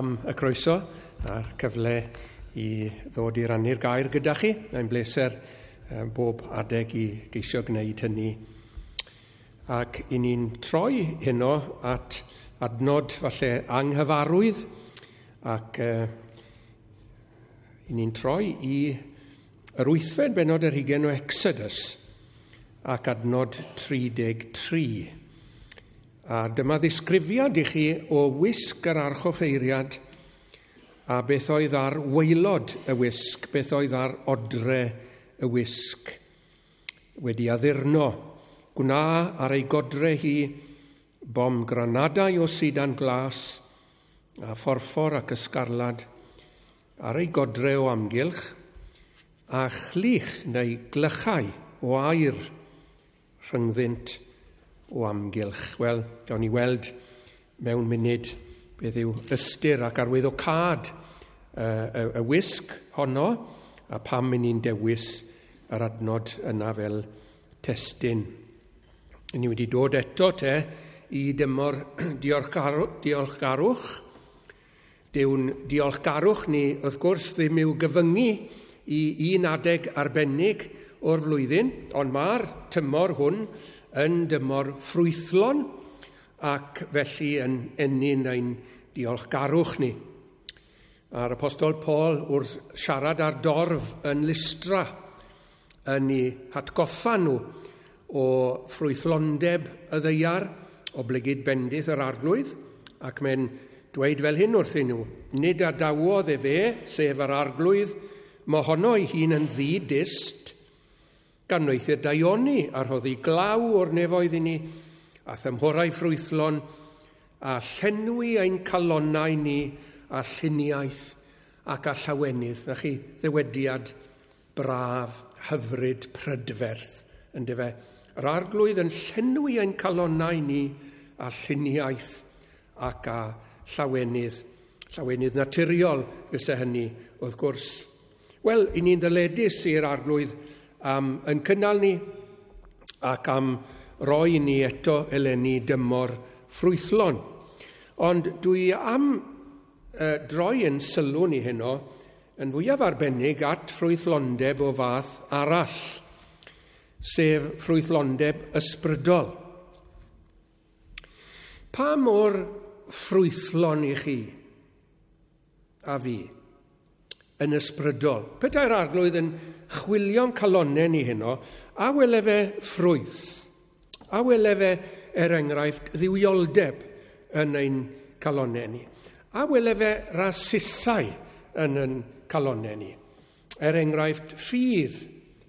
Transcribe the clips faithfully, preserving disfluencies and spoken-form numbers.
Am y croeso a'r cyfle i ddod i rannu'r gair gyda chi. Mae'n bleser bob adeg i geisio gwneud hynny. Ac i ni'n troi heno at adnod falle anghyfarwydd ac uh, i ni'n troi i yr wythfed bennod ar hugain o Exodus ac adnod tri deg tri. A dyma ddisgrifiad i chi o wisg yr archoffeiriad a beth oedd ar waelod y wisg, beth oedd ar odre y wisg wedi addurno. Gwna ar ei godre hi bom granadau o sidan glas a phorffor ac ysgarlad ar ei godre o amgylch a chlich neu glychau o aur rhyngddynt o amgylch. Wel, gawn ni weld mewn munud beth yw ystyr ac arwyddocâd y, y, y wisg honno a pam i ni'n dewis yr adnod yna fel testun. Ni wedi dod eto te i dymor diolchgarwch. Dyw'n diolchgarwch ni, wrth gwrs, ddim i'w gyfyngu i un adeg arbennig o'r flwyddyn, ond mae'r tymor hwn yn dymor ffrwythlon ac felly yn ennyn ein diolchgarwch ni. A'r Apostol Paul wrth siarad ar dorf yn Lystra yn ei hatgoffa nhw o ffrwythlondeb y ddaear, o blegid bendith yr arglwydd, ac mae'n dweud fel hyn wrthyn nhw, nid adawodd efe, sef yr arglwydd, mohono ei hun yn ddi-dyst, gan wneud daioni a rhoddi glaw o'r nefoedd i ni, a thymhorau ffrwythlon, a llenwi ein calonnau ni a lluniaeth ac a llawenydd. Na chi ddywediad braf, hyfryd, prydferth, yndyfe. Yr arglwydd yn llenwi ein calonnau ni a lluniaeth ac a llawenydd. Llawenydd naturiol fyse hynny, wrth gwrs. Wel, i ni'n ddyledus i'r arglwydd am yn cynnal ni ac am roi ni eto eleni dymor ffrwythlon. Ond dwi am uh, droi yn sylw ni heno yn fwyaf arbennig at ffrwythlondeb o fath arall, sef ffrwythlondeb ysbrydol. Pa mor ffrwythlon i chi a fi yn ysbrydol? Petai'r arglwydd yn chwilio'n calonnau ni heno, a wele fe ffrwyth, a wele fe, er enghraifft, dduwioldeb yn ein calonnau ni, a wele fe rasusau yn ein calonnau ni, er enghraifft ffydd,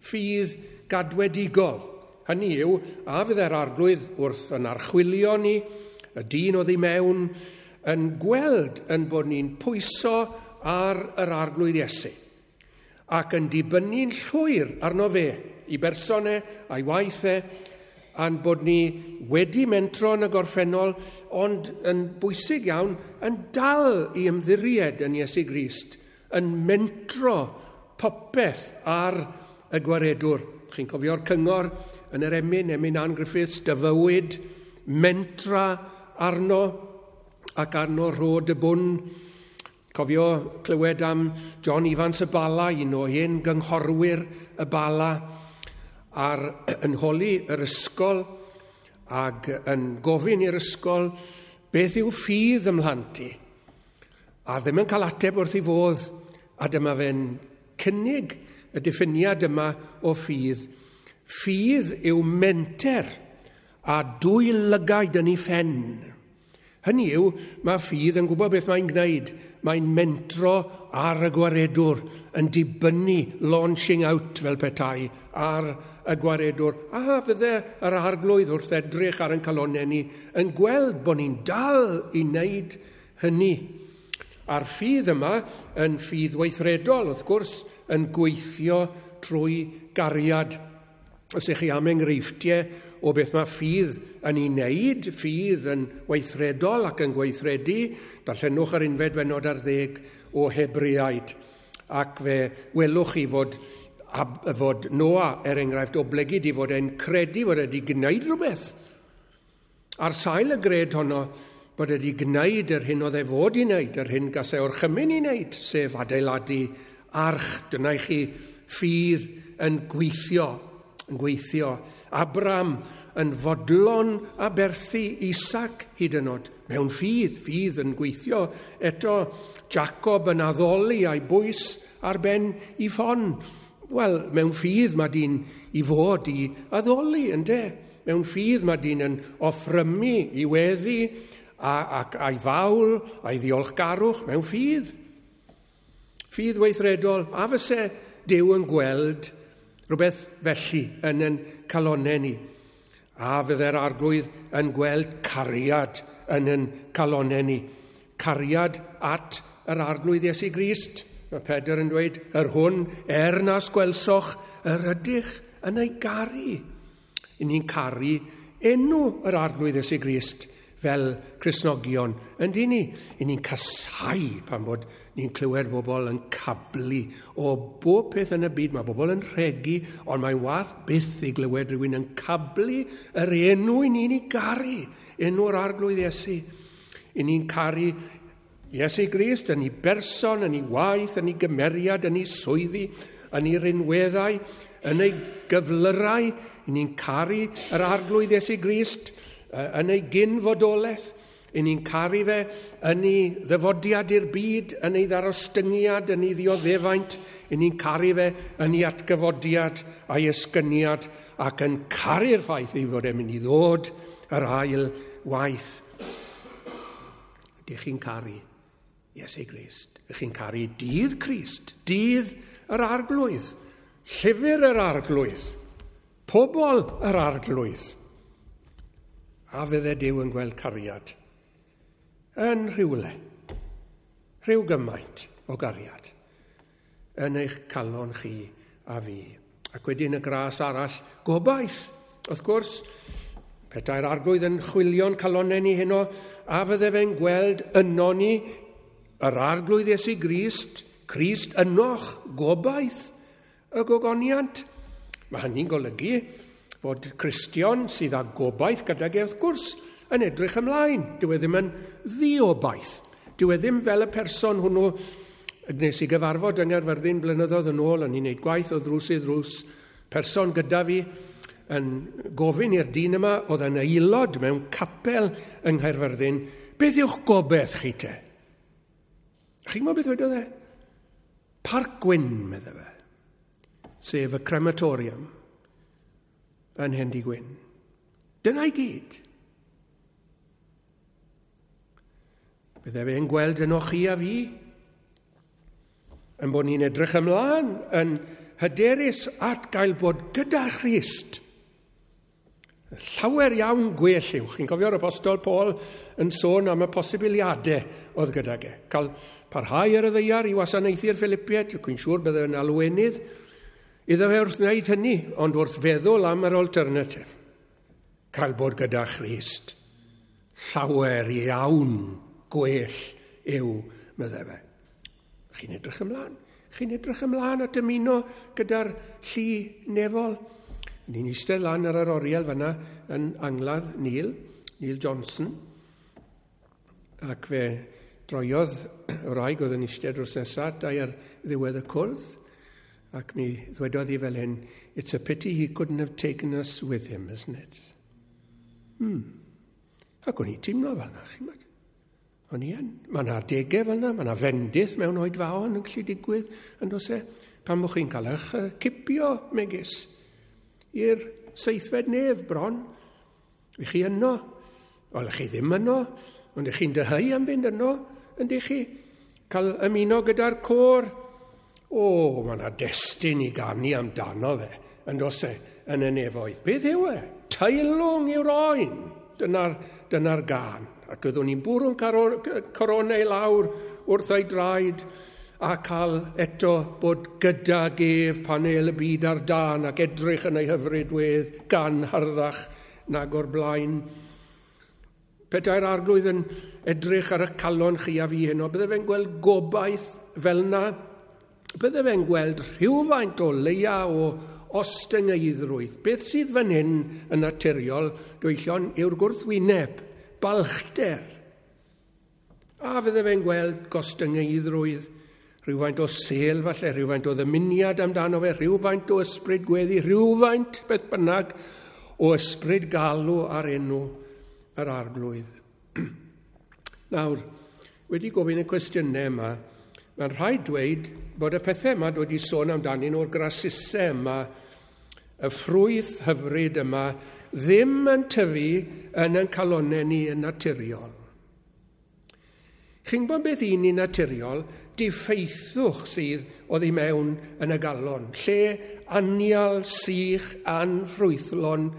ffydd gadwedigol. Hynny yw, a fydde'r arglwydd wrth yn archwilio ni, y dyn oddi mewn, yn gweld yn bod ni'n pwyso ar yr arglwydd Iesu, ac yn dibynnu'n llwyr arno fe, i berson e, a'i waith e, a'n bod ni wedi mentro yn y gorffennol, ond yn bwysig iawn, yn dal i ymddiried yn Iesu Grist, yn mentro popeth ar y gwaredwr. Chi'n cofio'r cyngor yn yr emyn, emyn Ann Griffiths, dy fywyd, mentra arno ac arno rhod y bwn. Cofio clywed am John Evans y Bala, un o hen gynghorwyr y Bala, ar yn holi yr ysgol ac yn gofyn i'r ysgol beth yw ffydd ym mhlant i. A ddim yn cael ateb wrth ei fodd, a dyma fe'n cynnig y diffiniad yma o ffydd. Ffydd yw menter a dwy lygaid yn ei phen. Hynny yw, mae ffydd yn gwybod beth mae'n gwneud. Mae'n mentro ar y gwaredwr, yn dibynnu, launching out fel petai, ar y gwaredwr. A fydde yr arglwydd wrth edrych ar ein calonnau ni yn gweld bod ni'n dal i wneud hynny. A'r ffydd yma yn ffydd weithredol, wrth gwrs, yn gweithio trwy gariad. Os ych chi am enghreifftiau o beth mae ffydd yn ei wneud, ffydd yn weithredol ac yn gweithredu, darllenwch yr unfed bennod ar ddeg o Hebreaid. Ac fe welwch chi fod, fod Noa, er enghraifft, oblegid i fod e'n credu fod wedi gwneud rhywbeth. Ar sail y gred honno, bod wedi gwneud yr hyn oedd e fod i wneud, yr hyn gas e orchymyn i wneud, sef adeiladu arch. Dyna i chi ffydd yn gweithio, yn gweithio. Abraham yn fodlon aberthu Isaac hyd yn oed, mewn ffydd, ffydd yn gweithio. Eto Jacob yn addoli a'i bwys ar ben i ffon. Wel, mewn ffydd mae dyn i fod i addoli, ynde? Mewn ffydd mae dyn yn offrymu i weddi a, ac a'i fawl, a'i ddiolchgarwch, mewn ffydd. Ffydd weithredol, a fyse Duw yn gweld rhywbeth felly yn yn calonnau ni. A fydde'r Arglwydd yn gweld cariad yn yn calonnau ni. Cariad at yr Arglwydd Iesu Grist. Mae Pedr yn dweud, yr hwn er nas gwelsoch, yr ydych yn ei garu. I ni'n caru enw yr Arglwydd Iesu Grist fel Cristnogion. Yndyn ni? I ni'n casau pan bod ni'n clywed bobl yn cablu o bob peth yn y byd. Mae bobl yn rhegi, ond mae wath byth i glywed rhywun yn cablu yr enw i ni'n ei garu, enw'r Arglwydd Iesu. I ni'n caru Iesu Grist yn ei berson, yn ei waith, yn ei gymeriad, yn ei swyddi, yn ei rinweddau, yn ei gyflyrau. I ni'n caru yr Arglwydd Iesu Grist yn ei gyn-fodolaeth. I ni'n caru fe yn ei ddyfodiad i'r byd, yn ei ddarostyngiad, yn ei ddioddefaint. I ni'n caru fe yn ei atgyfodiad a'i esgyniad ac yn caru'r ffaith ei fod e'n mynd i ddod yr ail waith. Ydych chi'n caru Iesu Grist? Ydych chi'n caru dydd Crist, dydd yr Arglwydd, llyfr yr Arglwydd, pobl yr Arglwydd? A fydde Duw yn gweld cariad yn rhywle, rhyw gymaint o gariad yn eich calon chi a fi. Ac wedyn y gras arall, gobaith. Wrth gwrs, petai'r Arglwydd yn chwilio'n calonnau ni heno, a fydde fe'n gweld yno ni yr Arglwydd Iesu Grist, Crist ynoch, gobaith y gogoniant. Mae hynny'n golygu fod Cristion sydd â gobaith gydag e, wrth gwrs, yn edrych ymlaen. Dyw e ddim yn ddiobaith. Dyw e ddim fel y person hwnnw nes i gyfarfod yng Nghaerfyrddin blynyddoedd yn ôl, o'n i'n gwneud gwaith o ddrws i ddrws, person gyda fi yn gofyn i'r dyn yma, oedd yn aelod mewn capel yng Nghaerfyrddin, beth yw'ch gobaith chi te? Chi'n gwybod beth wedodd e? Parc Gwyn, medde fe, sef y crematorium yn Hendy Gwyn. Dyna i gyd. Bydde fe'n gweld yno chi a fi, yn bod ni'n edrych ymlaen, yn hyderus at gael bod gyda Christ. Llawer iawn gwell yw. Chi'n cofio'r Apostol Paul yn sôn am y posibiliadau oedd gydag e. Cael parhau ar y ddaear i wasanaethu'r Philippiaid, dwi'n siŵr bydde yn alwenydd, iddo fe wrth wneud hynny, ond wrth feddwl am yr alternatif. Cael bod gyda Christ. Llawer iawn gwell yw, medde fe. Chi'n edrych ymlaen. Chi'n edrych ymlaen at ymuno gyda'r llu nefol. Ni'n eistedd lan ar yr oriel fanna yn angladd Neil, Neil Johnson, ac fe droiodd y wraig oedd yn eistedd drws nesaf dau ar ddiwedd y cwrdd, ac mi ddwedodd hi fel hyn, "It's a pity he couldn't have taken us with him, isn't it?" Hmm. Ac o'n i teimlo fel yna, chi'n gwybod? O'n i yn. Mae yna adegau fel yna, mae yna fendith mewn oedfaon yn gallu digwydd, yn does e? Pan bod chi'n cael eich cipio, megis, i'r seithfed nef bron. Ych chi yno? Wel, ych chi ddim yno, ond ych chi'n dyheu am fynd yno, yndych chi? Cael ymuno gyda'r côr. O, mae yna destun i ganu amdano fe, yn does e, yn y nefoedd. Beth yw e? Teilwng yw'r oen. Dyna'r dyna gân. Ac oeddwn ni'n bwrw'n coronau i lawr wrth ei draed a cael eto bod gydag ef pan el y byd ar dân ac edrych yn ei hyfryd wedd gan harddach nag o'r blaen. Petai'r Arglwydd yn edrych ar y calon chi a fi heno, bydde fe'n gweld gobaith fel na, bydde fe'n gweld rhywfaint o leia o ostyngeiddrwydd. Beth sydd fan hyn yn naturiol, gyfeillion, yw'r gwrthwyneb, balchder. A fydde fe'n gweld gostyngeiddrwydd, rhywfaint o sel falle, rhywfaint o ddymuniad amdano fe, rhywfaint o ysbryd gweddi, rhywfaint beth bynnag o ysbryd galw ar enw yr Arglwydd. Nawr, wedi gofyn y cwestiynau yma, mae'n rhaid dweud bod y pethau yma dwi wedi sôn amdanyn o'r grasusau yma, y ffrwyth hyfryd yma, ddim yn tyfu yn ein calonnau ni yn naturiol. Chi'n gwybod beth i ni naturiol? Diffeithwch sydd oddi mewn yn y galon. Lle anial, sych, anffrwythlon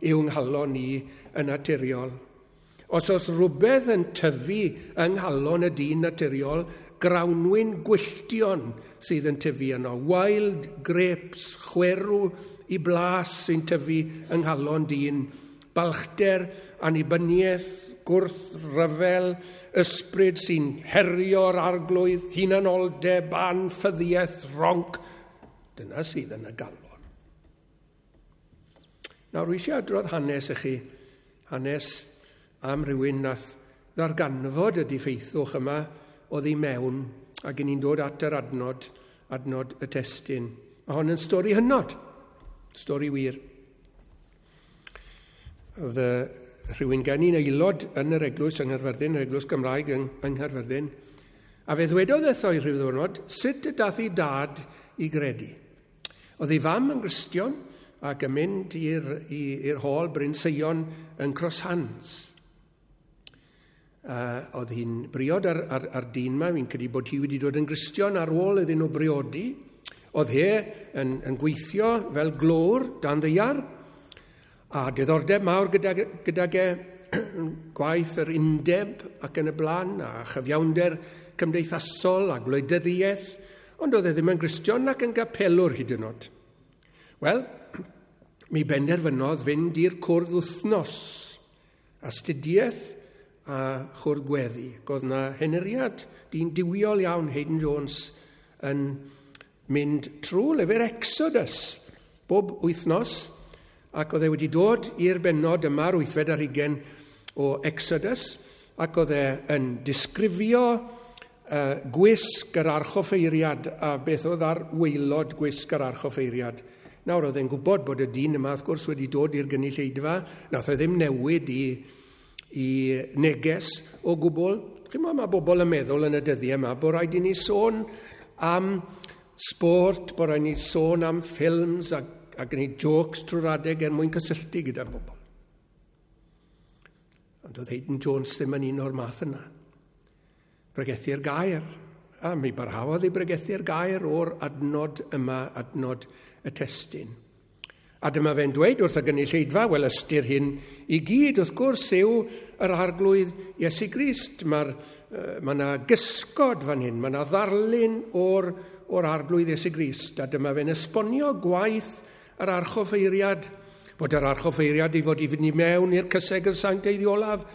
yw nghalon ni yn naturiol. Os oes rhywbeth yn tyfu yng nghalon y dyn naturiol, grawnwin gwylltion sydd yn tyfu yno. Wild grapes, chwerw i blas sy'n tyfu yng nghalon dyn. Balchder, annibyniaeth, gwrth ryfel, ysbryd sy'n herio'r Arglwydd, hunanoldeb, anffyddiaeth, ronc. Dyna sydd yn y galon. Nawr, rwy eisiau adrodd hanes i chi, hanes am rhywun nath ddarganfod y diffeithwch yma oddi mewn, ac ni'n dod at yr adnod, adnod y testun. Mae hon yn stori hynod, stori wir. Oedd rhywun gen i'n aelod yn yr eglwys yng Nghaerfyrddin, yr eglwys Gymraeg yng, yng Nghaerfyrddin, a fe ddwedodd wrtho i rhyw ddwrnod sut y dath ei dad i gredu. Oedd ei fam yn Gristion ac yn mynd i'r hôl Bryn Seion yn Cross Hands. Uh, oedd hi'n briod ar, ar, ar dyn ma, fi'n credu bod hi wedi dod yn Gristion ar ôl iddyn nhw briodi. Oedd he yn, yn gweithio fel glöwr dan ddaear, a diddordeb mawr gyda, gydag e gwaith yr undeb ac yn y blaen, a chyfiawnder cymdeithasol a gwleidyddiaeth, ond oedd e ddim yn Gristion ac yn gapelwr hyd yn oed. Wel, mi benderfynodd fynd i'r cwrdd wythnos, astudiaeth a chwrdd gweddi. Oedd na henuriad, dyn duwiol iawn, Hayden Jones, yn mynd trwy lyfr Exodus bob wythnos, ac oedd e wedi dod i'r bennod yma'r wythfed ar hugain o Exodus, ac oedd e yn disgrifio uh, gwisg yr archoffeiriad a beth oedd ar waelod gwisg yr archoffeiriad. Nawr oedd e'n gwybod bod y dyn yma wrth gwrs wedi dod i'r gynulleidfa, nath e ddim newid i, i neges o gwbl. Chi'n mae bobl yn meddwl yn y dyddiau yma bod rhaid i ni sôn am sport, bod rhaid i ni sôn am ffilms a, a gwneud jokes trwy'r adeg er mwyn cysylltu gyda bobl. Ond oedd Hayden Jones ddim yn un o'r math yna. Bregethu'r gair. A mi barhaodd i bregethu'r gair o'r adnod yma, adnod y testun. A dyma fe'n dweud wrth y gynulleidfa, wel, ystyr hyn i gyd wrth gwrs yw yr Arglwydd Iesu Grist. Mae'r, mae yna gysgod fan hyn, mae yna ddarlun o'r, o'r Arglwydd Iesu Grist. A dyma fe'n esbonio gwaith yr archoffeiriad, bod yr archoffeiriad i fod i fynd i mewn i'r cysegr sanctaidd olaf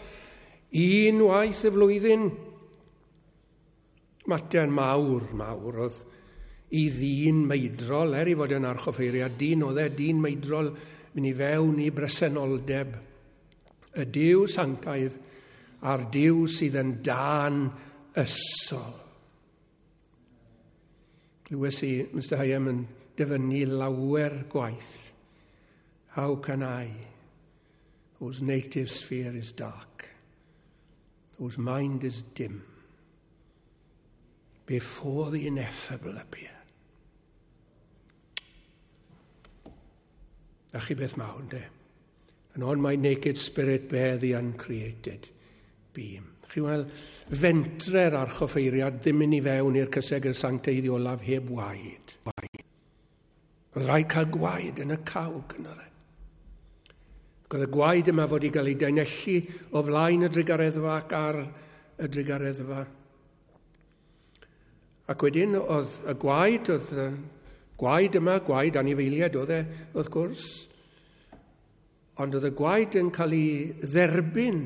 unwaith y flwyddyn. Mater mawr, mawr oedd i ddyn meidrol, er i fod yn archoffeiriad, dyn oedd e, dyn meidrol, mynd i fewn i bresenoldeb y Duw sanctaidd a'r Duw sydd yn dân ysol. Glywes i Mister Hyam yn dyfynnu lawer gwaith. "How can I, whose native sphere is dark, whose mind is dim, before the ineffable appear?" A chi beth mawr, de? "And on my naked spirit bear the uncreated beam." Chi weld, fentre'r archoffeiriad ddim mynd i fewn i'r cysegr sanctaidd olaf heb waed. Oedd rhaid cael gwaed yn y cawg yno dde. Ac oedd y gwaed yma fod i gael ei daenellu o flaen y drugareddfa ac ar y drugareddfa. Ac wedyn oedd y gwaed, oedd y gwaed yma, gwaed anifeiliaid oedd e, wrth gwrs, ond oedd y gwaed yn cael ei dderbyn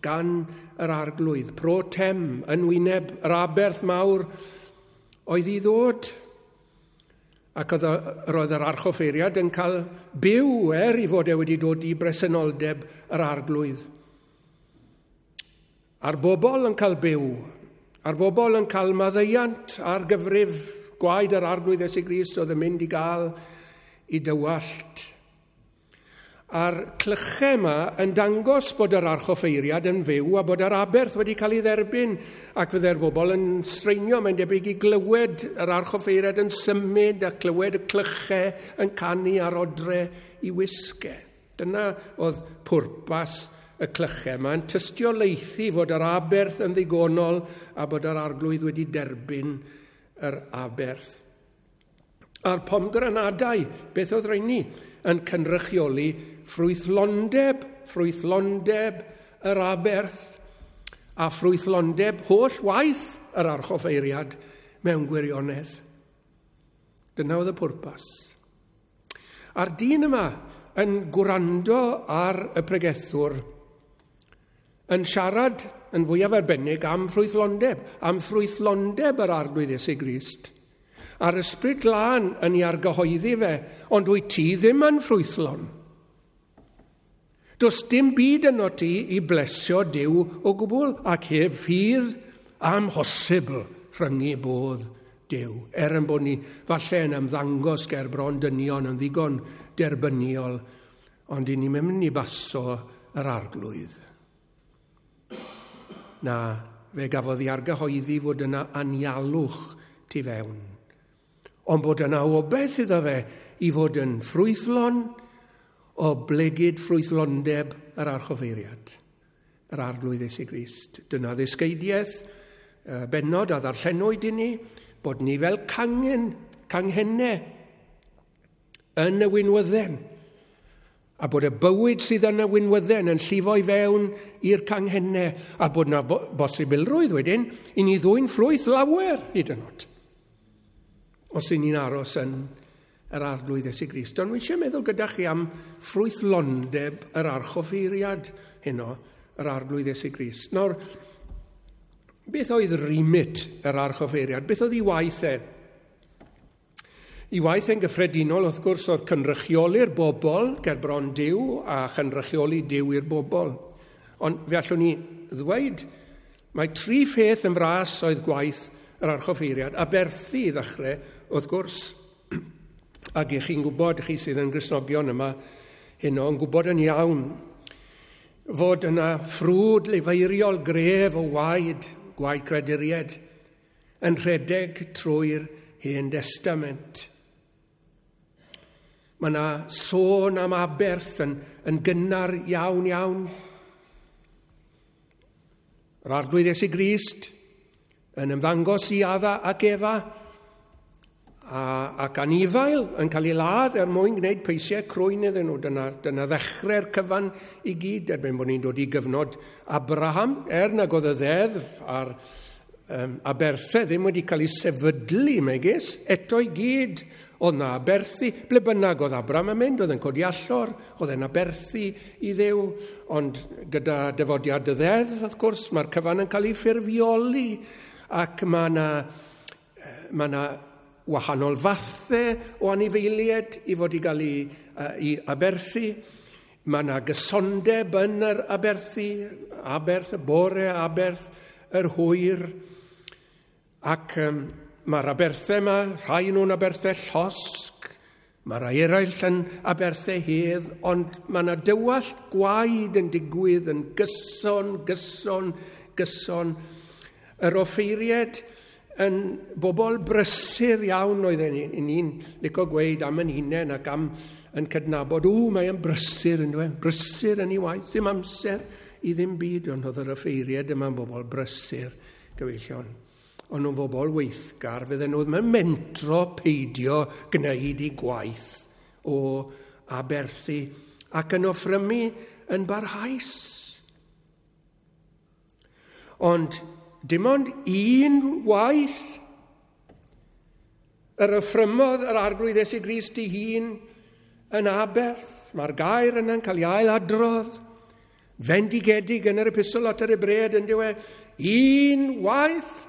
gan yr Arglwydd, pro tem, yn wyneb yr aberth mawr oedd i ddod. Ac oedd roedd yr archoffeiriad yn cael byw er i fod e wedi dod i bresenoldeb yr Arglwydd. A'r bobl yn cael byw, a'r bobl yn cael maddeuant ar gyfrif gwaed yr Arglwydd Iesu Grist oedd yn mynd i gael i dywallt. A'r clychau yma yn dangos bod yr archoffeiriad yn fyw a bod yr aberth wedi cael ei dderbyn, ac fydde'r bobl yn sreinio, mae'n debyg i glywed yr archoffeiriad yn symud a clywed y clychau yn canu ar odre i wisge. Dyna oedd pwrpas y clychau. Mae'n tystiolaethu fod yr aberth yn ddigonol a bod yr Arglwydd wedi derbyn yr aberth. A'r pomgranadau, beth oedd rheini? Yn cynrychioli ffrwythlondeb, ffrwythlondeb yr aberth a ffrwythlondeb holl waith yr archoffeiriad mewn gwirionedd. Dyna oedd y pwrpas. A'r dyn yma yn gwrando ar y pregethwr yn siarad yn fwyaf arbennig am ffrwythlondeb, am ffrwythlondeb yr Arglwydd Iesu Grist. A'r Ysbryd Glân yn ei argyhoeddi fe, ond wyt ti ddim yn ffrwythlon. Does dim byd yno ti i blesio Duw o gwbl, ac heb ffydd amhosibl rhyngu bodd Duw. Er yn bod ni falle yn ymddangos ger bron dynion yn ddigon derbyniol, ond i ni'n mynd i baso yr Arglwydd. Na, fe gafodd ei argyhoeddi fod yna anialwch tu fewn. Ond bod yna obaith iddo fe i fod yn ffrwythlon o blegid ffrwythlondeb yr archoffeiriad, yr Arglwydd Iesu Grist. Dyna ddysgeidiaeth bennod a ddarllenwyd i ni, bod ni fel cangen, canghennau yn y winwydden, a bod y bywyd sydd yn y winwydden yn llifo i fewn i'r canghennau, a bod yna bosibilrwydd wedyn i ni ddwyn ffrwyth lawer hyd yn oed, os y'n ni'n aros yn yr Arglwydd Iesu Grist. Ond wi eisiau meddwl gyda chi am ffrwythlondeb yr archoffeiriad heno, yr Arglwydd Iesu Grist. Nawr, beth oedd remit yr archoffeiriad? Beth oedd ei waith e? I waith e'n gyffredinol, wrth gwrs, oedd cynrychioli'r bobl ger bron Duw a chynrychioli Duw i'r bobl. Ond fe allwn ni ddweud, mae tri pheth yn fras oedd gwaith yr archoffeiriad, aberthu i ddechrau, wrth gwrs, ac i chi'n gwybod, chi sydd yn Gristnogion yma heno, yn gwybod yn iawn fod yna ffrwd lefeiriol gref o waed, gwaed creduried, yn rhedeg trwy'r Hen Destament. Mae yna sôn am aberth yn, yn gynnar iawn iawn. Yr Arglwydd Iesu Grist yn ymddangos i Adda ac Efa, a, ac anifail yn cael ei ladd er mwyn gwneud peisiau crwyn iddyn nhw. Dyna, dyna ddechrau'r cyfan i gyd, erbyn bod ni'n dod i gyfnod Abraham, er nag oedd y ddeddf a'r um, aberthau ddim wedi cael ei sefydlu, megis, eto i gyd oedd na aberthu, ble bynnag oedd Abraham yn mynd, oedd yn codi allor, oedd e'n aberthu i Dduw, ond gyda dyfodiad y ddeddf, wrth gwrs, mae'r cyfan yn cael ei ffurfioli, ac mae yna ma na wahanol fathau o anifeiliaid i fod i gael ei, ei aberthu. Mae yna gysondeb yn yr aberthu, aberth y bore, aberth yr hwyr, ac um, mae'r aberthau yma, rhai nhw'n aberthau llosg, mae rhai eraill yn aberthau hedd, ond mae yna dywallt gwaed yn digwydd yn gyson, gyson, gyson. Yr offeiriaid yn bobl brysur iawn oedden ni. Ni'n licio gweud am yn hunain ac am yn cydnabod, ww, mae yn brysur yn dweud, brysur yn ei waith, ddim amser i ddim byd, ond oedd yr offeiriaid yma'n bobl brysur, gyfeillion. Ond nhw'n bobl weithgar, fydden nhw ddim yn mentro peidio gwneud i gwaith o aberthu ac yn offrymu yn barhaus. Ond dim ond un waith yr offrymodd yr Arglwydd Iesu Grist ei hun yn aberth. Mae'r gair yna'n cael ei ailadrodd, fendigedig yn yr epistol at yr Hebreaid yn diwedd. Un waith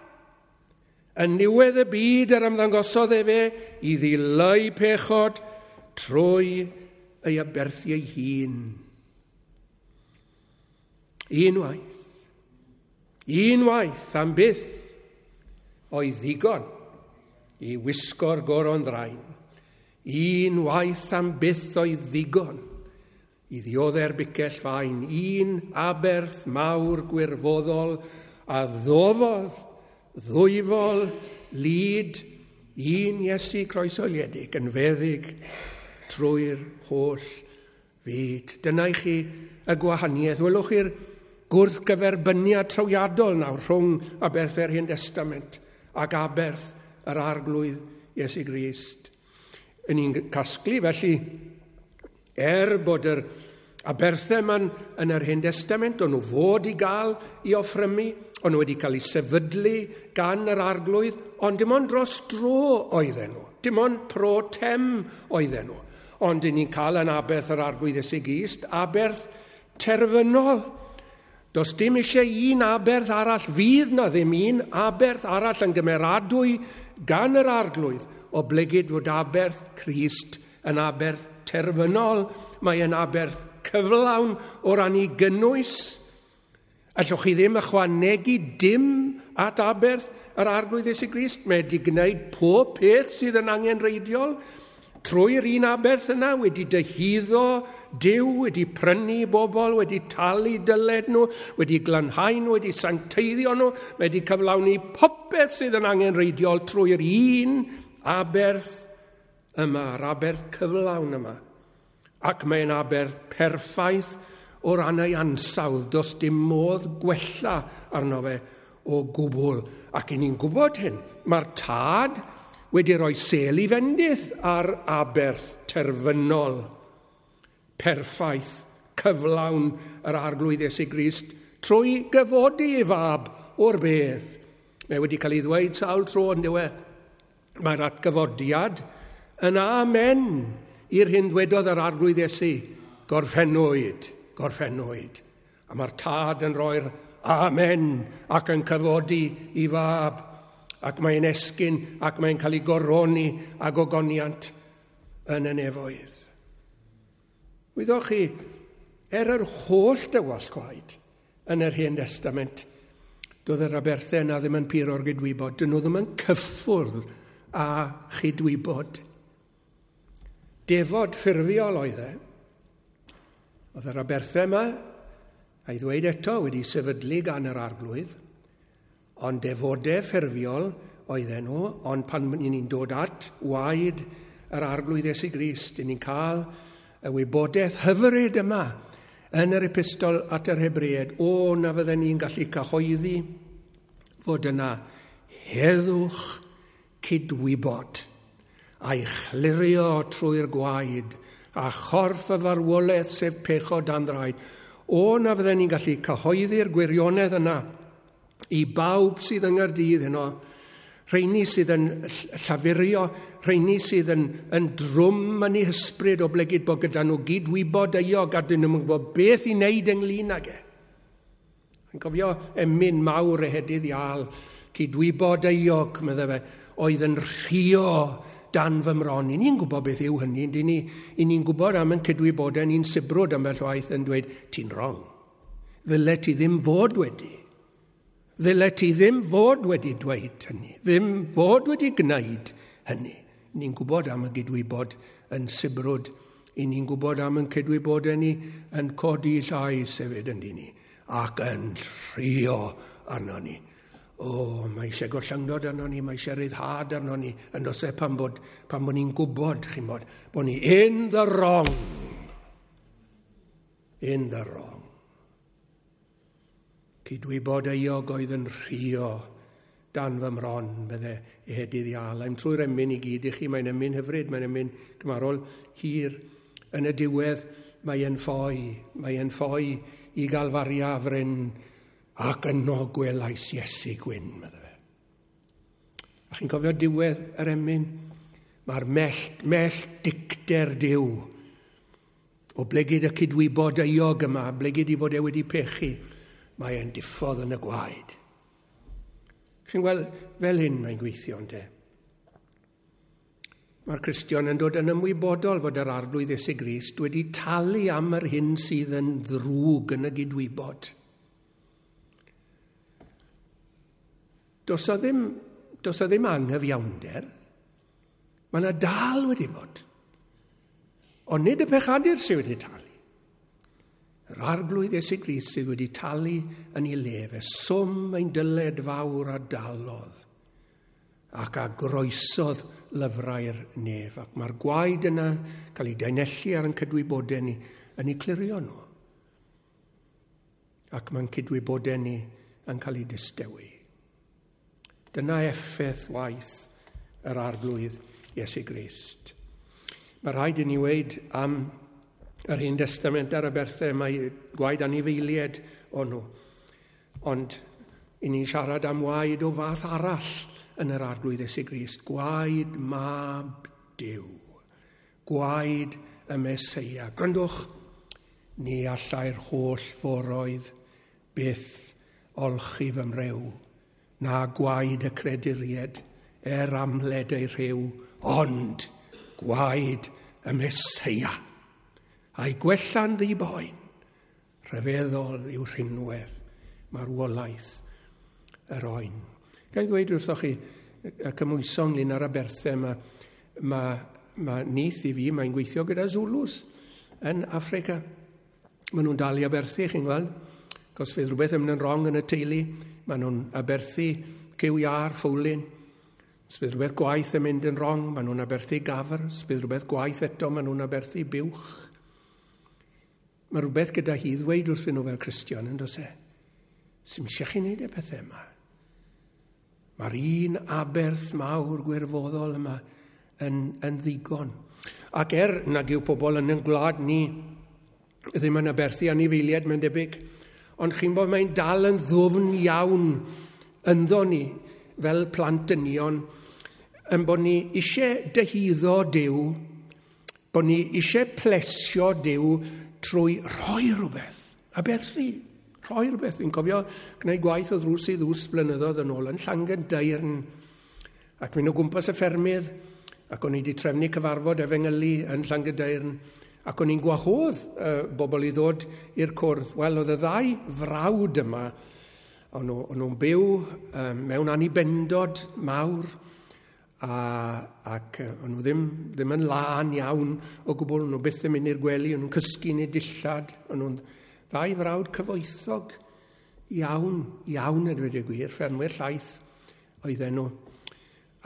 yn niwedd y byd yr ymddangosodd efe i ddileu pechod trwy ei aberthu ei hun. Un waith. Unwaith am byth oedd ddigon i wisgo'r goron ddrain. Unwaith am byth oedd ddigon i ddiodde'r bicell fain. Un aberth mawr gwirfoddol a ddofodd ddwyfol lid un Iesu croeshoeliedig yn feddyg trwy'r holl fyd. Dyna i chi y gwahaniaeth. Welwch chi'r gwrthgyferbyniad trawiadol nawr rhwng aberth yr Hen Destament ac aberth yr Arglwydd Iesu Grist. Yn ni'n casglu felly, er bod yr aberthau yma yn yr Hen Destament, o'n nhw fod i gael i offrymu, o'n nhw wedi cael eu sefydlu gan yr Arglwydd, ond dim ond dros dro oedden nhw. Dim ond pro tem oedden nhw. Ond yn ni'n cael yn aberth yr Arglwydd Iesu Grist, aberth terfynol. Does dim eisiau un aberth arall, fydd na ddim un aberth arall yn gymeradwy gan yr Arglwydd, oblegid fod aberth Crist yn aberth terfynol, mae yn aberth cyflawn o ran ei gynnwys. Allwch chi ddim ychwanegu dim at aberth yr Arglwydd Iesu Grist. Mae wedi gwneud pob peth sydd yn angenrheidiol trwy'r un aberth yna, wedi dyhuddo Duw, wedi prynu bobl, wedi talu dyled nhw, wedi glanhau nhw, wedi sancteiddio nhw, wedi cyflawni popeth sydd yn angenrheidiol trwy'r un aberth yma, yr aberth cyflawn yma. Ac mae'n aberth perffaith o ran ei ansawdd, does dim modd gwella arno fe o gwbl. Ac i ni'n gwybod hyn, mae'r tad wedi rhoi sêl i fendith ar aberth terfynol, perffaith, cyflawn yr Arglwydd Iesu Grist trwy gyfodi ei fab o'r bedd. Mae wedi cael ei ddweud sawl tro yn dyw e. Mae'r atgyfodiad yn amen i'r hyn dwedodd yr Arglwydd Iesu. Gorffennwyd, gorffennwyd. A mae'r tad yn rhoi'r amen ac yn cyfodi i fab. Ac mae'n esgyn ac mae'n cael ei goroni a gogoniant yn y nefoedd. Wyddoch chi, er yr holl dywallt gwaed yn yr Hen Destament, doedd yr aberthau yna ddim yn puro'r gydwybod, dyn nhw ddim yn cyffwrdd â chydwybod. Defod ffurfiol oedd e. Oedd yr aberthau yma, a'i ddweud eto, wedi sefydlu gan yr Arglwydd, ond defodau ffurfiol oedden nhw, ond pan ni'n dod at waed yr Arglwydd Iesu Grist, ni'n cael y wybodaeth hyfryd yma yn yr epistol at yr Hebreaid, o na fydden ni'n gallu cyhoeddi fod yna heddwch cydwybod a'i chlirio trwy'r gwaed a chorff y farwolaeth sef pechod dan draed. O na fydden ni'n gallu cyhoeddi'r gwirionedd yna i bawb sydd yng Nghaerdydd heno, rheini sydd yn llafurio, rheini sydd yn, yn drwm yn eu hysbryd oblegid bod gyda nhw gydwybod euog a dyn nhw'n gwybod beth i wneud ynglyn ag e. Yn cofio emyn mawr ehedydd Iâl, cydwybod euog, medde fe, oedd yn rhio dan fy mron. I ni'n gwybod beth yw hynny, i ni'n ni gwybod am yn cydwybodau, ni'n sibrwd ambell waith yn dweud, ti'n wrong. Ddyle ti ddim fod wedi. Ddyle ti ddim fod wedi dweud hynny, ddim fod wedi gwneud hynny. Ni'n gwybod am y gydwybod yn sibrwd, i ni'n gwybod am yn cydwybodau ni yn codi llais hefyd yn ni, ac yn rhio arno ni. O, mae eisiau gollyngdod arno ni, mae eisiau ryddhad arno ni, yn does e pan bod, pan bod ni'n gwybod, chi'n bod, bod ni in the wrong. In the wrong. Cydwybod euog oedd yn rhio dan fy mron, bydde ehedydd Iâl. I'm trwy'r emyn i gyd i chi, mae'n emyn hyfryd, mae'n emyn cymarol hir. Yn y diwedd, mae'n ffoi, mae'n ffoi i Galfaria fryn, ac yno gwelais Iesu gwyn, medde fe. A chi'n cofio diwedd yr emyn? Mae'r mellt, mellt dicter Duw, o blegid y cydwybod euog yma, blegid i fod e wedi pechu, mae e'n diffodd yn y gwaed. Chi'n gweld, fel hyn mae'n gweithio, ynte. Mae'r Cristion yn dod yn ymwybodol fod yr Arglwydd Iesu Grist wedi talu am yr hyn sydd yn ddrwg yn y gydwybod. Does o ddim, does o ddim anghyfiawnder. Mae yna dal wedi bod. Ond nid y pechadur sydd wedi talu. Yr Arglwydd Iesu Grist sydd wedi talu yn ei le fe, swm ein dyled fawr a dalodd ac a groesodd lyfrau'r nef. Ac mae'r gwaed yna cael ei daenellu ar ein cydwybodau ni yn ei clirio nhw. Ac mae'n cydwybodau ni yn cael ei distewi. Dyna effaith waith yr Arglwydd Iesu Grist. Mae rhaid i ni weud am yr Hen Destament ar aberthau, mae gwaed anifeiliaid o'n nhw. Ond i ni'n siarad am waed o fath arall yn yr Arglwydd Iesu Grist. Gwaed mab Duw. Gwaed y Meseia. Gwrandwch, ni allai'r holl foroedd byth olchi fy mrew, na gwaed y creduried er amled ei rhyw, ond gwaed y Meseia. A'i gwella'n ddi-boen, rhyfeddol yw rhinwedd marwolaeth yr oen. Ga i ddweud wrthoch chi, y cymhwyso ynglyn â'r aberthau, mae, mae, mae nith i fi, mae'n gweithio gyda Zulus yn Affrica. Maen nhw'n dal i aberthu, chi'n gweld. Os fydd rhywbeth yn mynd yn wrong yn y teulu, maen nhw'n aberthu cyw iâr, ffwlyn. Os fydd rhywbeth gwaith yn mynd yn wrong, maen nhw'n aberthu gafr. Os fydd rhywbeth gwaith eto, maen nhw'n aberthu buwch. Mae rhywbeth gyda hi ddweud wrthyn nhw fel Cristion, yn does e? Sy'm eisiau chi wneud y pethau yma. Mae'r un aberth mawr gwirfoddol yma yn, yn ddigon. Ac er nag yw pobl yn ein gwlad ni ddim yn aberthu anifeiliaid, mae'n debyg, ond chi'n bod mae'n dal yn ddwfn iawn ynddo ni fel plant dynion, yn bod ni eisiau dyhuddo Duw, bod ni eisiau plesio Duw trwy rhoi rhywbeth, aberthu, rhoi rhywbeth. Fi'n cofio gwneud gwaith o ddrws i ddrws blynyddoedd yn ôl yn Llangydaearn, ac mynd o gwmpas y ffermydd, ac o'n i wedi trefnu cyfarfod efengylu yn Llangydaearn, ac o'n i'n gwahodd uh, bobl i ddod i'r cwrdd. Wel, oedd y ddau frawd yma, o'n nhw, o'n nhw'n byw um, mewn anibendod mawr, a, ac o'n nhw ddim, ddim yn lân iawn o gwbl, o'n nhw byth yn mynd i'r gwely, o'n nhw'n cysgu yn eu dillad, o'n nhw'n ddau frawd cyfoethog iawn, iawn yn dweud y gwir, ffermwyr llaeth oedden nhw.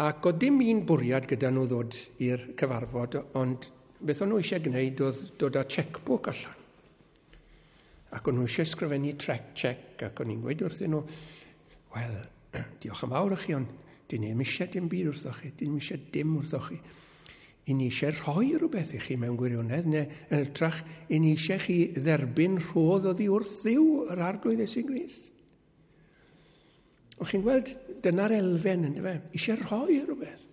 Ac oedd dim un bwriad gyda nhw ddod i'r cyfarfod, ond beth o'n nhw eisiau gwneud oedd dod â checkbook allan. Ac o'n nhw eisiau sgrifennu trec check, ac o'n i'n gweud wrthyn nhw, wel, diolch yn fawr i chi, ond dyn ni ddim eisiau dim byd wrthoch chi, dyn ni ddim eisiau dim wrthoch chi. I ni eisiau rhoi rhywbeth i chi mewn gwirionedd, neu yn hytrach, i ni eisiau chi dderbyn rhodd oddi wrth Dduw yr Arglwydd Iesu Grist. O chi'n gweld, dyna'r elfen, yndyfe? Eisiau rhoi rhywbeth.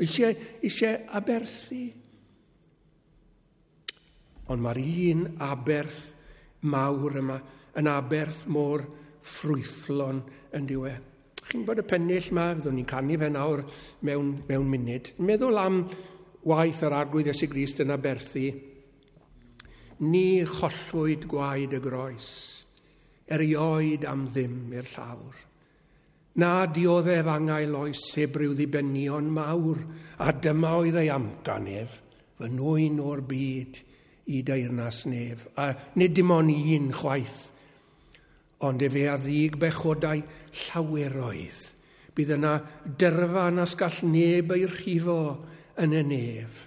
Eisiau, eisiau aberthu. Ond mae'r un aberth mawr yma yn aberth mor ffrwythlon yn diwedd. Chi'n gwybod y pennill yma, fyddwn ni'n canu fe nawr mewn, mewn munud. Meddwl am waith yr Arglwydd Iesu Grist yn aberthu. Ni chollwyd gwaed y groes, erioed am ddim i'r llawr. Na dioddef angau oes heb ryw ddibenion mawr, a dyma oedd ei amcan ef, fy nwyn o'r byd i deyrnas nef. A nid dim ond un chwaith, ond efe a ddug bechodau llaweroedd. Bydd yna dyrfa nas gall neb ei rhifo yn y nef.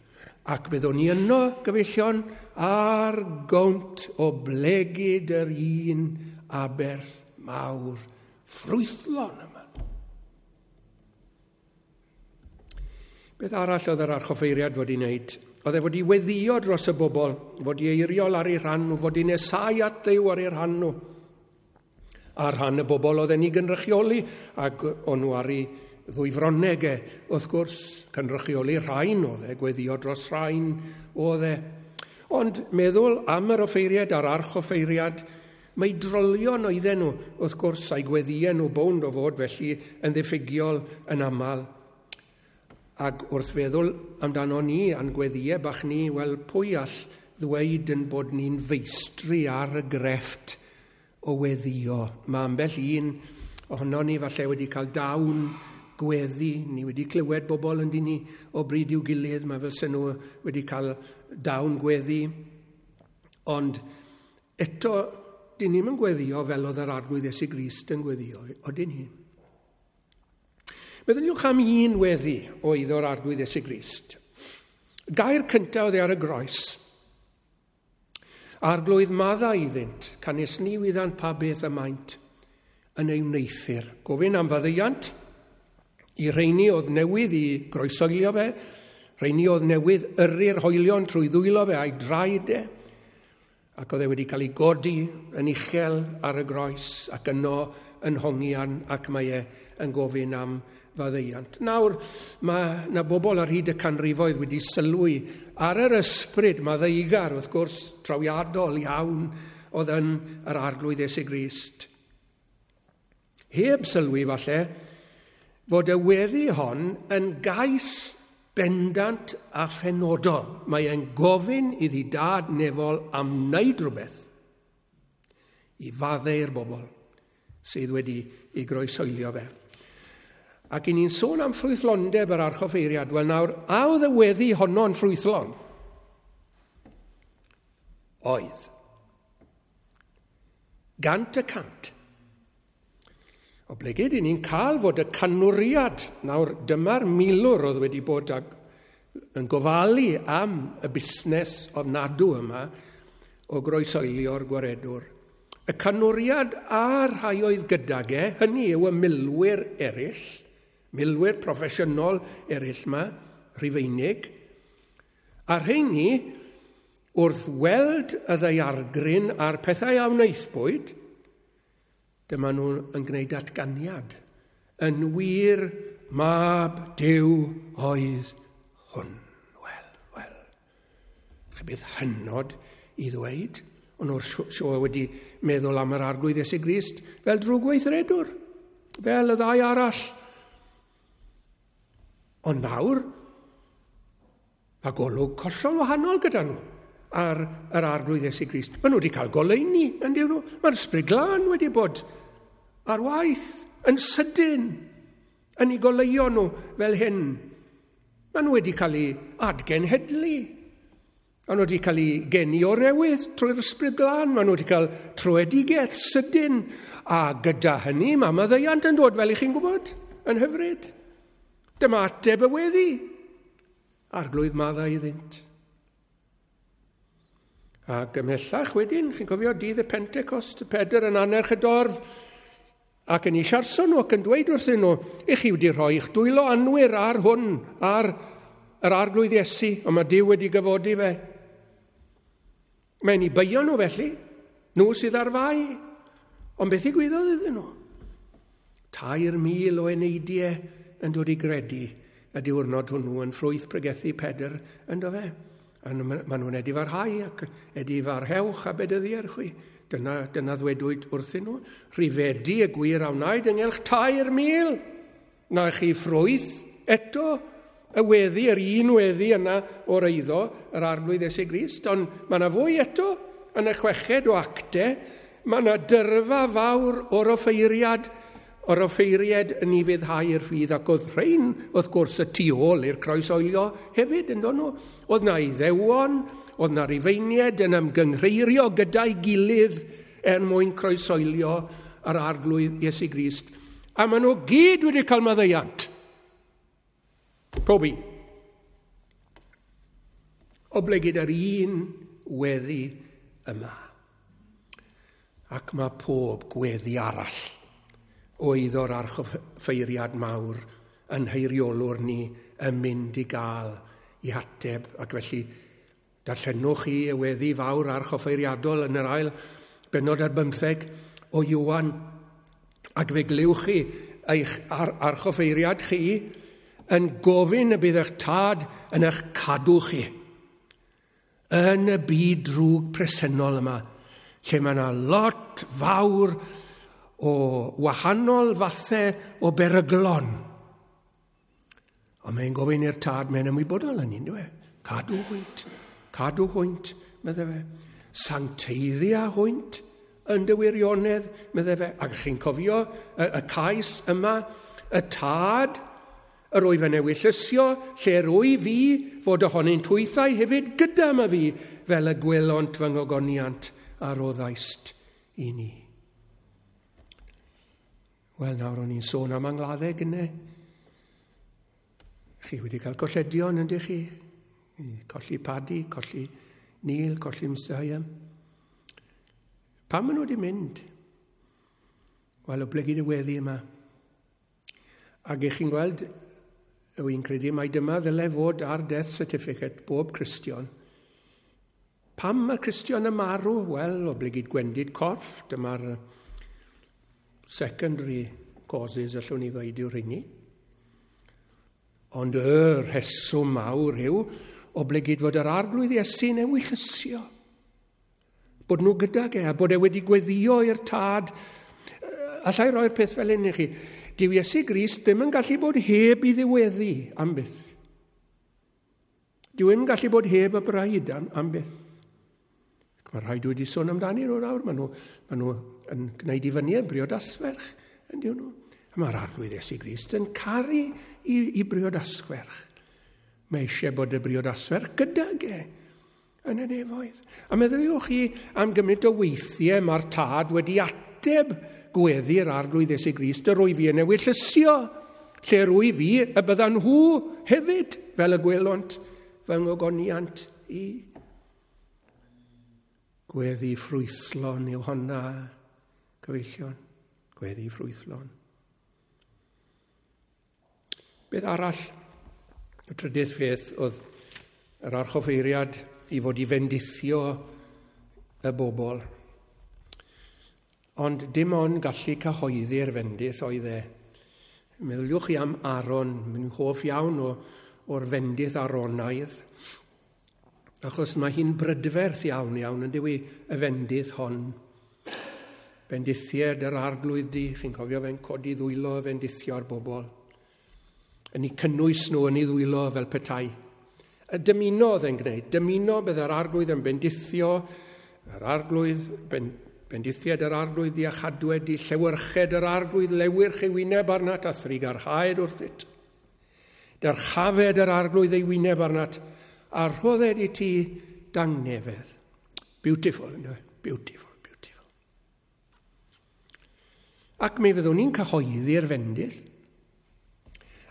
Ac byddwn ni yno, gyfeillion, ar gownt o blegid yr un aberth mawr ffrwythlon yma. Beth arall oedd yr archoffeiriad fod i wneud? Oedd e fod i weddio dros y bobl, fod i eiriol ar ei rhan nhw, fod i nesau at Dduw ar ei rhan nhw. Ar rhan y bobl oedd e'n ei gynrychioli, ac o'n nhw ar ei ddwy fronneg e, wrth gwrs, cynrychioli rhain oedd e, gweddio dros rhain oedd e. Ond meddwl am yr offeiriad a'r archoffeiriad, mae drolion oedden nhw, wrth gwrs, a'i gweddïau nhw bownd o fod felly yn ddiffygiol yn aml. Ac wrth feddwl amdano ni, a'n gweddïau bach ni, wel, pwy all ddweud yn bod ni'n feistri ar y grefft o weddio? Mae ambell un ohono ni falle wedi cael dawn gweddi, ni wedi clywed bobl yn dyn ni o bryd i'w gilydd, mae fel sy'n nhw wedi cael dawn gweddi. Ond eto, dyn ni'm yn gweddio fel oedd yr Arglwydd Iesu Grist yn gweddio, odyn ni? Meddyliwch am un weddi oedd o'r Arglwydd Iesu Grist. Gair cyntaf oedd e ar y groes. Arglwydd madda iddynt, canys ni wyddant pa beth y maent yn ei wneuthur. Gofyn am faddeuant i rheini oedd newydd i groesoelio fe, rheini oedd newydd yrru'r hoelion trwy ddwylo fe a'i draed e, ac oedd e wedi cael ei godi yn uchel ar y groes ac yno yn hongian, ac mae e yn gofyn am faddeuant. Nawr, mae na bobl ar hyd y canrifoedd wedi sylwi ar yr ysbryd maddeugar, wrth gwrs, trawiadol iawn oedd yn yr Arglwydd Iesu Grist. Heb sylwi falle fod y weddi hon yn gais bendant a phenodol. Mae e'n gofyn iddi dad nefol am wneud rhywbeth i faddeu'r bobl sydd wedi ei groesoelio fe. Ac i ni'n sôn am ffrwythlondeb yr archoffeiriad, wel nawr, a oedd y weddi honno'n ffrwythlon? Oedd. Gant y cant. Oblegid, i ni'n cael fod y canwriad, nawr dyma'r milwr oedd wedi bod ag, yn gofalu am y busnes ofnadw yma o groesoelio'r gwaredwr. Y canwriad a'r rhai oedd gydag e, hynny yw y milwyr eraill, milwyr proffesiynol eraill yma, Rhufeinig, a rheini wrth weld y ddaeargryn a'r pethau a wnaethpwyd, dyma nhw yn gwneud datganiad. Yn wir, mab Duw oedd hwn. Wel, wel, chi bydd hynod i ddweud, ond o'r sioe wedi meddwl am yr Arglwydd Iesu Grist fel drwgweithredwr, fel y ddau arall. Ond nawr, mae golwg hollol wahanol gyda nhw ar yr Arglwydd Iesu Grist. Maen nhw wedi cael goleuni, yn dyn nhw. Mae'r Ysbryd Glân wedi bod ar waith yn sydyn yn eu goleuo nhw fel hyn. Maen nhw wedi cael eu adgenhedlu. Maen nhw wedi cael eu geni o'r newydd trwy'r Ysbryd Glân. Maen nhw wedi cael troedigaeth sydyn. A gyda hynny, mae maddeuant yn dod, fel i chi'n gwybod, yn hyfryd. Dyma ateb y weddi. Arglwydd madda iddynt. Ac ymhellach wedyn, chi'n cofio dydd y Pentecost, Pedr yn annerch y dorf, ac yn ei siarso nhw ac yn dweud wrthyn nhw, i chi wedi rhoi eich dwylo anwir ar hwn, ar yr Arglwydd Iesu, ond mae Duw wedi gyfodi fe. Mae'n ei beio nhw felly, nhw sydd ar fai, ond beth ddigwyddodd iddyn nhw? Tair mil o eneidiau yn dod i gredu y diwrnod hwnnw yn ffrwyth pregethu Pedr yn do fe. A maen nhw'n edifarhau ac edifarhewch a bedyddier chwi. Dyna, dyna ddwedwyd wrthyn nhw. Rhifedi y gwir a wnaed ynghylch tair mil. Na chi ffrwyth eto y weddi, yr un weddi yna o'r eiddo, yr Arglwydd Iesu Grist, ond mae yna fwy eto yn y chweched o actau. Mae yna dyrfa fawr o'r offeiriad, o'r offeiriad yn ei fyddhau i'r ffydd, ac oedd rhain, wrth gwrs, y tu ôl i'r croesoelio hefyd, yn nhw. Oedd na Iddewon, oedd na Rufeiniaid yn ymgynghreirio gyda'i gilydd er mwyn croesoelio yr Arglwydd Iesu Grist. A maen nhw gyd wedi cael maddeuant. Pob un. Oblegid yr un weddi yma. Ac mae pob gweddi arall oedd o'r archoffeiriad mawr yn heiriolwr ni yn mynd i gael i hateb. Ac felly darllenwch chi y weddi fawr archoffeiriadol yn yr ail bennod ar bymtheg o Ioan, ac fe glywch chi eich ar archoffeiriad chi yn gofyn y bydd eich tad yn eich cadw chi yn y byd drwg presennol yma, lle mae yna lot fawr o wahanol fathau o beryglon. Ond mae'n gofyn i'r tad, mae'n ymwybodol yn un, dwi? Cadw hwynt, cadw hwynt, meddai fe. Sancteiddia hwynt yn dy wirionedd, meddai fe. Ac chi'n cofio y, y cais yma, y tad, yr wyf yn ewyllysio, lle rwy fi, fod ohonynt hwythau hefyd gyda ma fi, fel y gwelont fy ngogoniant a roddaist i ni. Wel, nawr o'n i'n sôn am angladdau gynne. Chi wedi cael colledion, yndych chi? Colli Paddy, colli Neil, colli Mister Hyam. Pam maen nhw wedi mynd? Wel, oblegid y weddi yma. Ac ych chi'n gweld, wy'n credu mai dyma ddylai fod ar death certificate bob Cristion. Pam mae'r Cristion yn marw? Wel, oblegid gwendid corff. Dyma'r secondary causes allwn ni ddweud yw'r rheini. Ond y rheswm mawr yw oblegid fod yr Arglwydd Iesu'n ewyllysio. Bod nhw gydag e, a bod e wedi gweddio i'r tad. Allai roi'r peth fel hyn i chi. Dyw Iesu Grist ddim yn gallu bod heb i ddiweddu am byth. Dyw e'n gallu bod heb y braidd am, am byth. Mae rhaid wedi sôn amdani nhw nawr. Maen nhw, maen nhw yn gwneud i fyny y briodasferch, yn dyw nhw. A mae'r Arglwydd Iesu Grist yn caru i, i briodasferch. Mae eisiau bod y briodasferch gydag e yn y nefoedd. A meddyliwch chi am gymaint o weithiau mae'r tad wedi ateb gweddi'r Arglwydd Iesu Grist, yr wyf fi yn ewyllysio, lle rwy fi y byddan nhw hefyd fel y gwelont fy ngogoniant i. Gweddi ffrwythlon yw honna, cyfeillion. Gweddi ffrwythlon. Beth arall, y trydydd peth oedd yr archoffeiriad i fod i fendithio y bobl. Ond dim ond gallu cyhoeddi'r fendith oedd e. Meddyliwch chi am Aaron, mae'n hoff iawn o, o'r fendith Aaronaidd, achos mae hi'n brydferth iawn iawn yn dyw y fendith hon. Bendithied yr Arglwydd di, chi'n cofio fe'n codi ddwylo fendithio'r bobl. Yn eu cynnwys nhw yn ei ddwylo fel petai. Y dymuno oedd e'n gwneud, dymuno bydd yr Arglwydd yn bendithio, yr Arglwydd, ben, bendithied yr Arglwydd di a chadwed di, llewyrched yr Arglwydd lewyrch ei wyneb arnat a thrugarhaed wrthyt. Dyrchafed yr Arglwydd ei wyneb arnat a rhodded i ti dangnefedd. Beautiful, ynddo? Beautiful, beautiful. Ac mi fyddwn ni'n cyhoeddi'r fendith.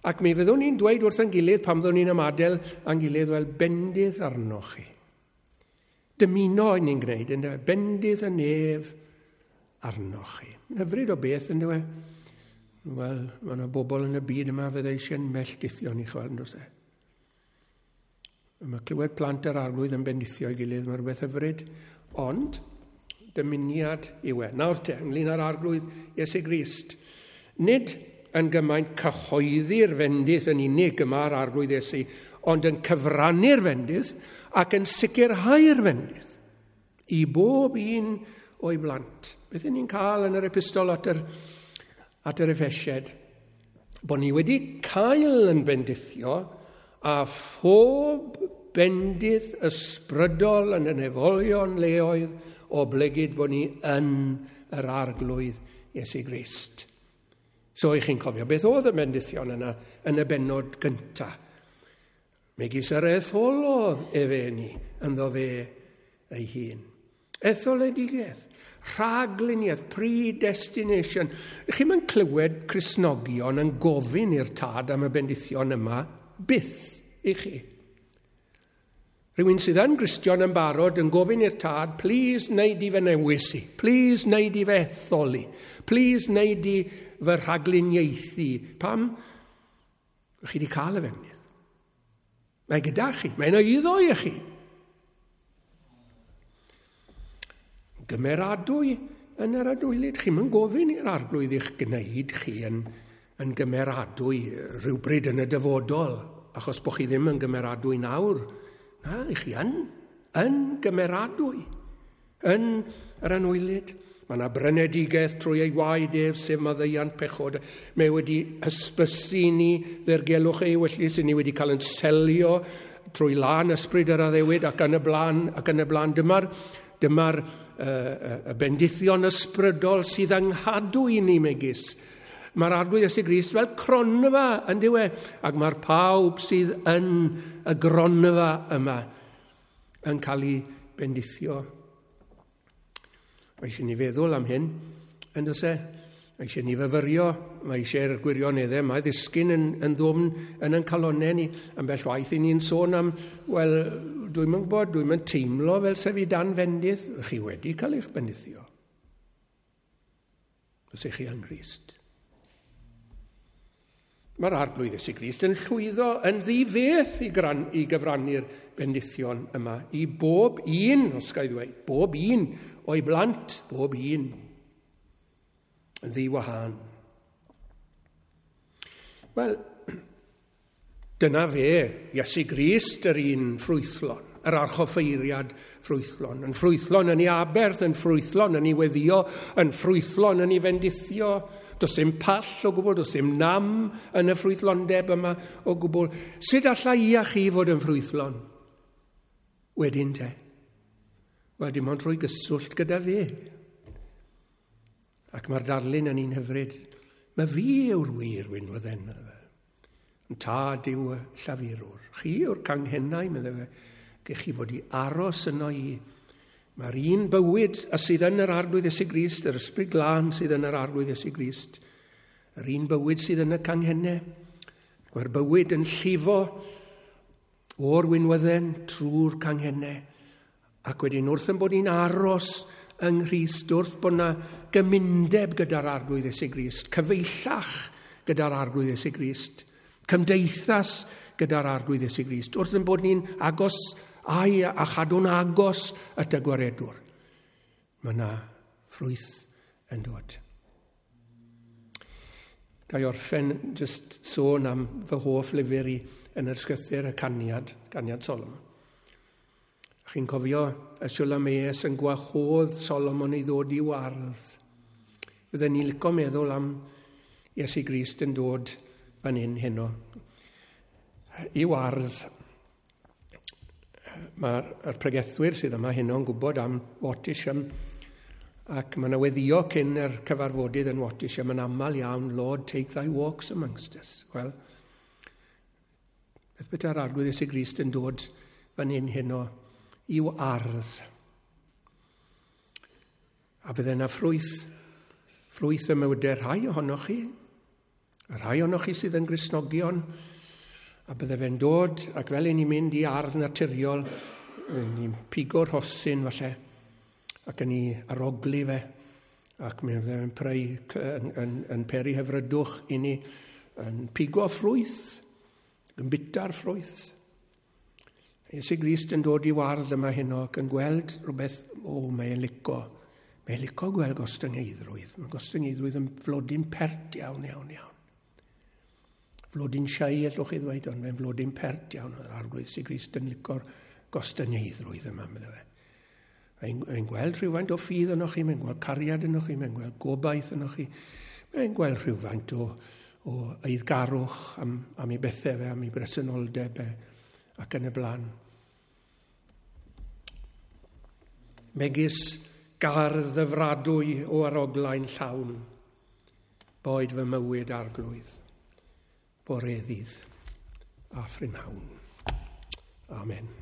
Ac mi fyddwn ni'n dweud wrth ein gilydd pan fyddwn ni'n ymadael â'n gilydd, wel, bendith arnoch chi. Dymuno ni'n gwneud, ynddo? Bendith y nef arnoch chi. Hyfryd o beth, ynddo? Wel, mae yna bobl yn y byd yma fydde eisiau'n melldithio ni, chwel, ynddo se? Mae clywed plant yr Arglwydd yn bendithio ei gilydd, mae rhywbeth hyfryd, ond dymuniad yw e. Nawr te, ynglyn â'r Arglwydd Iesu Grist, nid yn gymaint cyhoeddi'r fendith yn unig yma'r Arglwydd Iesu, ond yn cyfrannu'r fendith ac yn sicrhau'r fendith i bob un o'i blant. Beth ni'n cael yn yr epistol at yr, at yr Effesiaid? Bod ni wedi cael yn bendithio a phob bendith ysbrydol yn y nefolion leoedd oblegid bod ni yn yr Arglwydd Iesu Grist. So i chi'n cofio beth oedd y bendithion yna yn y bennod gyntaf. Megis yr etholodd efe ni ynddo fe ei hun. Etholedigaeth, rhagluniaeth, predestination. Chi'm yn clywed Cristnogion yn gofyn i'r tad am y bendithion yma byth i chi. Rhywun sydd yn Gristion yn barod yn gofyn i'r tad, please wneud i fy newis i, please wneud i fy etholi, please wneud i fy rhagluniaethu. Pam? Chi wedi cael y fendith. Mae gyda chi, mae'n eiddo i chi. Gymeradwy yn yr adwylyd. Chi'm yn gofyn i'r Arglwydd i'ch gwneud chi yn, yn gymeradwy rhywbryd yn y dyfodol, achos bod chi ddim yn gymeradwy nawr. Na, i chi yn, yn gymeradwy, yn yr anwylyd. Mae yna brynedigaeth trwy ei waed ef, sef maddeuant pechod. Mae wedi hysbysu ni ddirgelwch ei ewyllys, ni wedi cael yn selio trwy lân ysbryd yr addewid ac yn y blaen, ac yn y blaen. Dyma'r dyma'r y bendithion ysbrydol sydd yng nghadw i ni megis. Mae'r Arglwydd Iesu Grist fel cronfa yn dyw e, ac mae'r pawb sydd yn y gronfa yma yn cael ei bendithio. Mae eisiau ni feddwl am hyn, yn does e? Mae eisiau ni fyfyrio, mae eisiau'r gwirioneddau yma ddisgyn yn, yn ddwfn yn ein calonnau ni. Ambell waith i ni'n sôn am, wel, dwi'm yn gwybod, dwi'm yn teimlo fel sef i dan fendith. Chi wedi cael eich bendithio. Os ych chi yng Nghrist. Mae'r Arglwydd Iesu Grist yn llwyddo yn ddifeth i, gran, i gyfrannu'r bendithion yma i bob un, os ga i ddweud, bob un o'i blant, bob un, yn ddiwahân. Wel, dyna fe, Iesu Grist yr un ffrwythlon, yr archoffeiriad ffrwythlon, yn ffrwythlon yn ei aberth, yn ffrwythlon yn ei weddio, yn ffrwythlon yn ei fendithio. Does dim pall o gwbl, does dim nam yn y ffrwythlondeb yma o gwbl. Sut alla i a chi fod yn ffrwythlon? Wedyn te. Wel, dim ond trwy gyswllt gyda fe. Ac mae'r darlun yn un hyfryd. Mae fi yw'r wir winwydden, medde fe. Yn tad yw y llafurwr. Chi yw'r canghennau, medde fe. Gech chi fod i aros yno i. Mae'r un bywyd a sydd yn yr Arglwydd Iesu Grist, yr Ysbryd Glân sydd yn yr Arglwydd Iesu Grist, yr un bywyd sydd yn y canghennau. Mae'r bywyd yn llifo o'r winwydden trwy'r canghennau. Ac wedyn wrth yn bod ni'n aros yng Nghrist, wrth bod yna gymundeb gyda'r Arglwydd Iesu Grist, cyfeillach gyda'r Arglwydd Iesu Grist, cymdeithas gyda'r Arglwydd Iesu Grist, wrth yn bod ni'n agos ai a chadw'n agos at y gwaredwr, mae yna ffrwyth yn dod. Ga i orffen just sôn am fy hoff lyfr i yn yr ysgrythur, y Caniad, Caniad Solomon. Chi'n cofio y Siwlamees yn gwahodd Solomon i ddod i'w ardd. Fydden ni'n licio meddwl am Iesu Grist yn dod fan hyn heno. I'w ardd. Mae'r pregethwyr sydd yma heno yn gwybod am Wattisham, ac mae yna weddio cyn yr cyfarfodydd yn Wattisham yn aml iawn, Lord, take thy walks amongst us. Wel, beth beta'r Arglwydd Iesu Grist yn dod fan hyn heno i'w ardd. A fydde yna ffrwyth, ffrwyth y mywydau rhai ohonoch chi, a rhai ohonoch chi sydd yn Gristnogion, a bydde fe'n dod, ac fel i ni'n mynd i ardd naturiol, ni'n pigo'r rhosyn falle, ac yn ei arogli fe, ac mi fydde fe'n preu, yn, yn, yn peri hyfrydwch i ni, yn pigo ffrwyth, yn bita'r ffrwyth. Iesu Grist yn dod i wardd yma heno ac yn gweld rhywbeth, o, mae'n lico. Mae'n lico gweld gostyngeiddrwydd. Mae gostyngeiddrwydd yn flodyn pert iawn, iawn, iawn. Flodyn siai, allwch chi ddweud, ond mae'n flodyn pert iawn. Yr Arglwydd Iesu Grist yn lico'r gostyngeiddrwydd yma, medde fe. Mae'n, mae'n gweld rhywfaint o ffydd ynoch chi, mae'n gweld cariad ynoch chi, mae'n gweld gobaith ynoch chi, mae'n gweld rhywfaint o, o eiddgarwch am, am ei bethau fe, am ei bresenoldeb e, ac yn y blaen. Megis gardd ddyfradwy o aroglau'n llawn, boed fy mywyd Arglwydd, bore ddydd a phrynhawn. Amen.